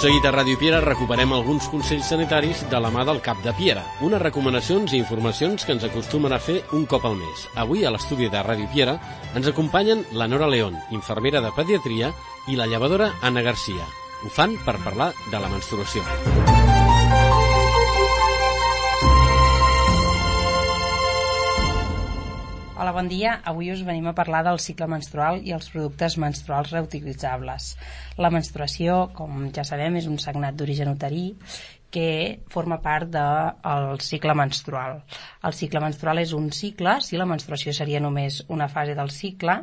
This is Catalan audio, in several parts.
seguit a Ràdio Piera recuperem alguns consells sanitaris de la mà del cap de Piera, unes recomanacions i informacions que ens acostumen a fer un cop al mes. Avui a l'estudi de Ràdio Piera ens acompanyen la Nora León, infermera de pediatria, i la llevadora Anna Garcia. Ho fan per parlar de la menstruació. Hola, bon dia. Avui us venim a parlar del cicle menstrual i els productes menstruals reutilitzables. La menstruació, com ja sabem, és un sagnat d'origen uterí que forma part del cicle menstrual. El cicle menstrual és un cicle, si la menstruació seria només una fase del cicle,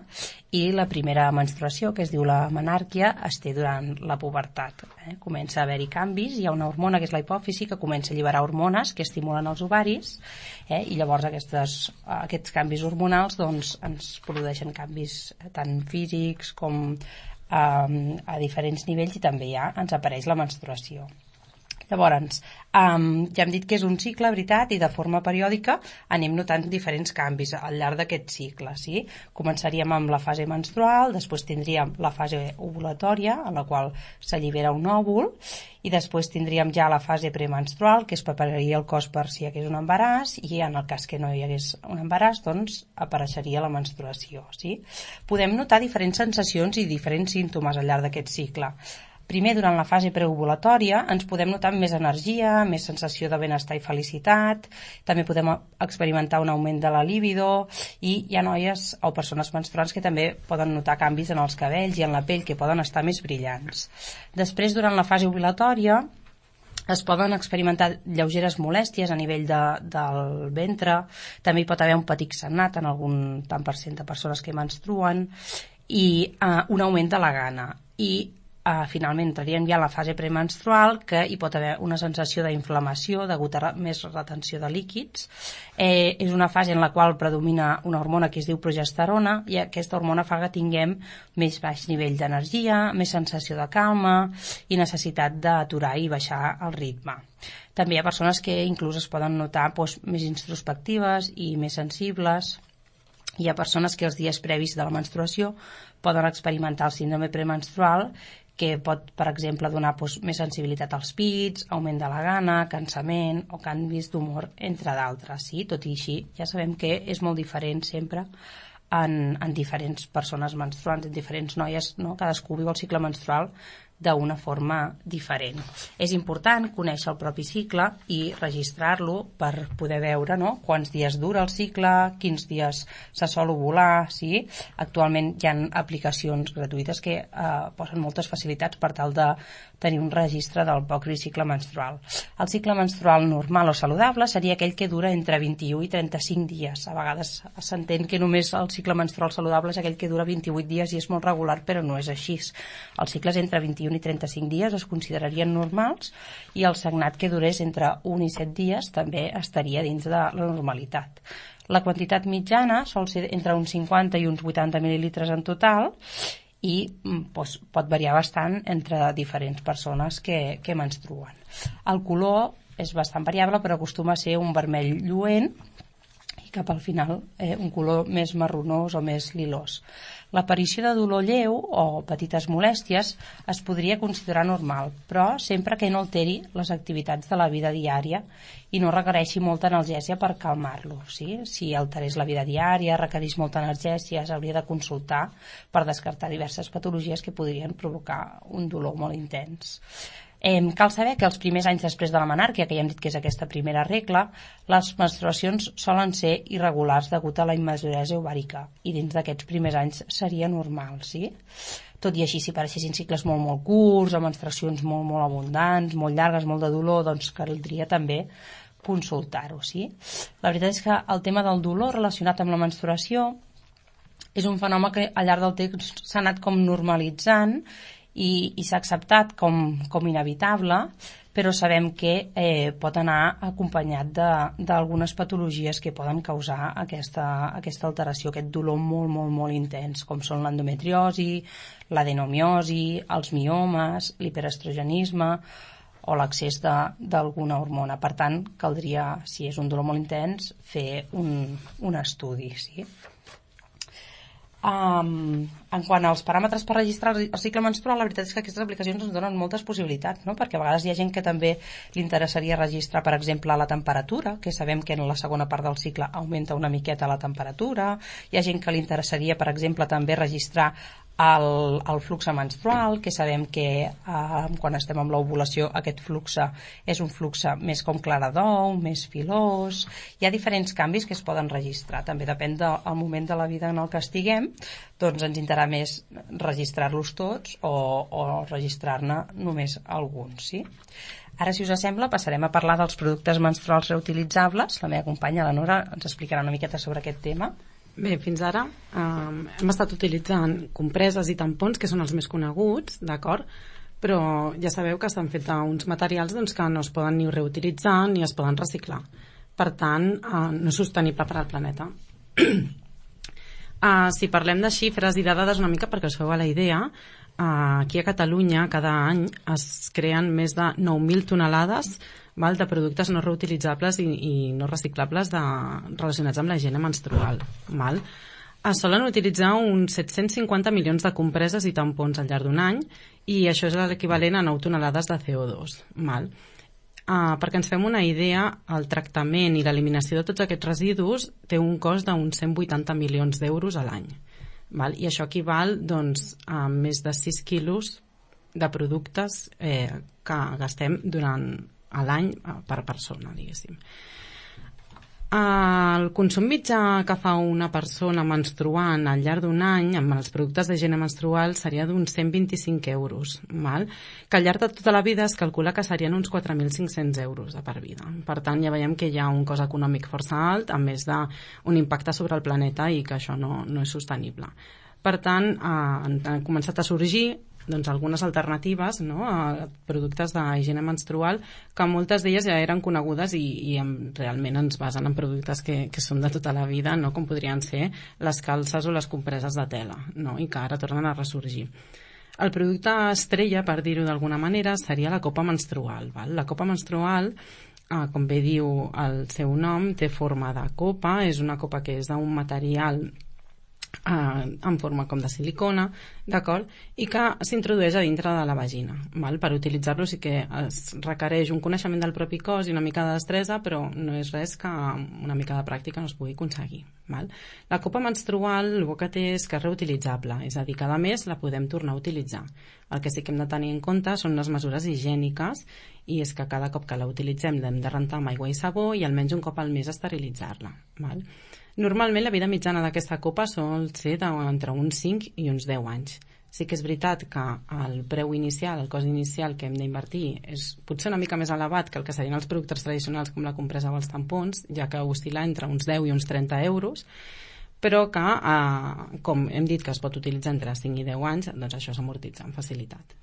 i la primera menstruació, que es diu la menàrquia, es té durant la pubertat. Comença a haver-hi canvis, hi ha una hormona que és la hipòfisi que comença a alliberar hormones que estimulen els ovaris, i llavors aquests canvis hormonals doncs, ens produeixen canvis tant físics com a diferents nivells, i també ja ens apareix la menstruació. Llavors, ja hem dit que és un cicle, veritat, i de forma periòdica anem notant diferents canvis al llarg d'aquest cicle. Sí? Començaríem amb la fase menstrual, després tindríem la fase ovulatòria, en la qual s'allibera un òvul, i després tindríem ja la fase premenstrual, que es prepararia el cos per si hi hagués un embaràs, i en el cas que no hi hagués un embaràs, doncs apareixeria la menstruació. Sí? Podem notar diferents sensacions i diferents símptomes al llarg d'aquest cicle. Primer, durant la fase preovulatòria, ens podem notar més energia, més sensació de benestar i felicitat, també podem experimentar un augment de la libido, i hi ha noies o persones menstruants que també poden notar canvis en els cabells i en la pell, que poden estar més brillants. Després, durant la fase ovulatòria, es poden experimentar lleugeres molèsties a nivell del ventre, també hi pot haver un petit sagnat en algun tant per cent de persones que menstruen, i un augment de la gana. I finalment entraríem ja a la fase premenstrual, que hi pot haver una sensació d'inflamació degut a més retenció de líquids. És una fase en la qual predomina una hormona que es diu progesterona, i aquesta hormona fa que tinguem més baix nivell d'energia, més sensació de calma i necessitat d'aturar i baixar el ritme. També hi ha persones que inclús es poden notar més introspectives i més sensibles. Hi ha persones que els dies previs de la menstruació poden experimentar el síndrome premenstrual, que pot, per exemple, donar més sensibilitat als pits, augment de la gana, cansament o canvis d'humor, entre d'altres. Sí? Tot i així, ja sabem que és molt diferent sempre en diferents persones menstruants, en diferents noies, no? Cadascú viu el cicle menstrual d'una forma diferent. És important conèixer el propi cicle i registrar-lo per poder veure, no?, quants dies dura el cicle, quins dies se sol ovular. Sí? Actualment hi ha aplicacions gratuïtes que posen moltes facilitats per tal de tenir un registre del propi cicle menstrual. El cicle menstrual normal o saludable seria aquell que dura entre 21 i 35 dies. A vegades s'entén que només el cicle menstrual saludable és aquell que dura 28 dies i és molt regular, però no és així. Els cicles entre 21 i 35 dies es considerarien normals, i el sagnat que durés entre 1 i 7 dies també estaria dins de la normalitat. La quantitat mitjana sol ser entre uns 50 i uns 80 mil·lilitres en total, i pot variar bastant entre diferents persones que menstruen. El color és bastant variable, però acostuma a ser un vermell lluent i cap al final un color més marronós o més lilós. L'aparició de dolor lleu o petites molèsties es podria considerar normal, però sempre que no alteri les activitats de la vida diària i no requereixi molta analgèsia per calmar-lo. Sí? Si alterés la vida diària, requereix molta analgèsia, s'hauria de consultar per descartar diverses patologies que podrien provocar un dolor molt intens. Cal saber que els primers anys després de la menàrquia, que ja hem dit que és aquesta primera regla, les menstruacions solen ser irregulars degut a la immaduresa ovàrica, i dins d'aquests primers anys seria normal. Sí? Tot i així, si apareixessin cicles molt curts o menstruacions molt abundants, molt llargues, molt de dolor, doncs caldria també consultar-ho. Sí? La veritat és que el tema del dolor relacionat amb la menstruació és un fenomen que al llarg del temps s'ha anat com normalitzant i s'ha acceptat com inevitable, però sabem que pot anar acompanyat d'algunes patologies que poden causar aquesta alteració, aquest dolor molt intens, com són l'endometriosi, l'adenomiosi, els miomes, l'hiperestrogenisme o l'accés d'alguna hormona. Per tant, caldria, si és un dolor molt intens, fer un estudi. Sí? En quant als paràmetres per registrar el cicle menstrual, la veritat és que aquestes aplicacions ens donen moltes possibilitats, no? Perquè a vegades hi ha gent que també li interessaria registrar, per exemple, la temperatura, que sabem que en la segona part del cicle augmenta una miqueta la temperatura. Hi ha gent que li interessaria, per exemple, també registrar el flux menstrual, que sabem que quan estem amb l'ovulació aquest flux és un flux més com clara d'ou, més filós. Hi ha diferents canvis que es poden registrar, també depèn del moment de la vida en el que estiguem, doncs ens interessarà més registrar-los tots o registrar-ne només alguns, sí? Ara, si us sembla, passarem a parlar dels productes menstruals reutilitzables. La meva companya, la Nora, ens explicarà una miqueta sobre aquest tema. Bé, fins ara hem estat utilitzant compreses i tampons, que són els més coneguts, d'acord? Però ja sabeu que estan fets d'uns materials que no es poden ni reutilitzar ni es poden reciclar. Per tant, no és sostenible per al planeta. Si parlem de xifres i de dades una mica perquè us feu a la idea, aquí a Catalunya cada any es creen més de 9.000 tonelades de productes no reutilitzables i no reciclables relacionats amb la higiene menstrual. Es solen utilitzar uns 750 milions de compreses i tampons al llarg d'un any i això és l'equivalent a 9 tonelades de CO2. Perquè ens fem una idea, el tractament i l'eliminació de tots aquests residus té un cost d'uns 180 milions d'euros a l'any. I això equival a més de 6 quilos de productes que gastem durant l'any per persona, diguéssim. El consum mitjà que fa una persona menstruant al llarg d'un any amb els productes d'higiene menstrual seria d'uns 125 euros, que al llarg de tota la vida es calcula que serien uns 4.500 euros de per vida. Per tant, ja veiem que hi ha un cost econòmic força alt, a més d'un impacte sobre el planeta i que això no és sostenible. Per tant, han començat a sorgir algunes alternatives a productes d'higiene menstrual que moltes d'elles ja eren conegudes i realment ens basen en productes que són de tota la vida, com podrien ser les calces o les compreses de tela, i que ara tornen a ressorgir. El producte estrella, per dir-ho d'alguna manera, seria la copa menstrual. La copa menstrual, com bé diu el seu nom, té forma de copa, és una copa que és d'un material en forma com de silicona, d'acord? I que s'introdueix a dintre de la vagina. Per utilitzar-lo sí que es requereix un coneixement del propi cos i una mica de destresa, però no és res que amb una mica de pràctica no es pugui aconseguir. La copa menstrual el que té és que és reutilitzable, és a dir, cada mes la podem tornar a utilitzar. El que sí que hem de tenir en compte són les mesures higièniques i és que cada cop que la utilitzem l'hem de rentar amb aigua i sabó i almenys un cop al mes esterilitzar-la. Normalment la vida mitjana d'aquesta copa sol ser entre uns 5 i uns 10 anys. Sí que és veritat que el preu inicial, el cost inicial que hem d'invertir és potser una mica més elevat que el que serien els productes tradicionals com la compresa o els tampons, ja que oscil·la entre uns 10 i uns 30 euros, però que, com hem dit que es pot utilitzar entre 5 i 10 anys, doncs això s'amortitza amb facilitat.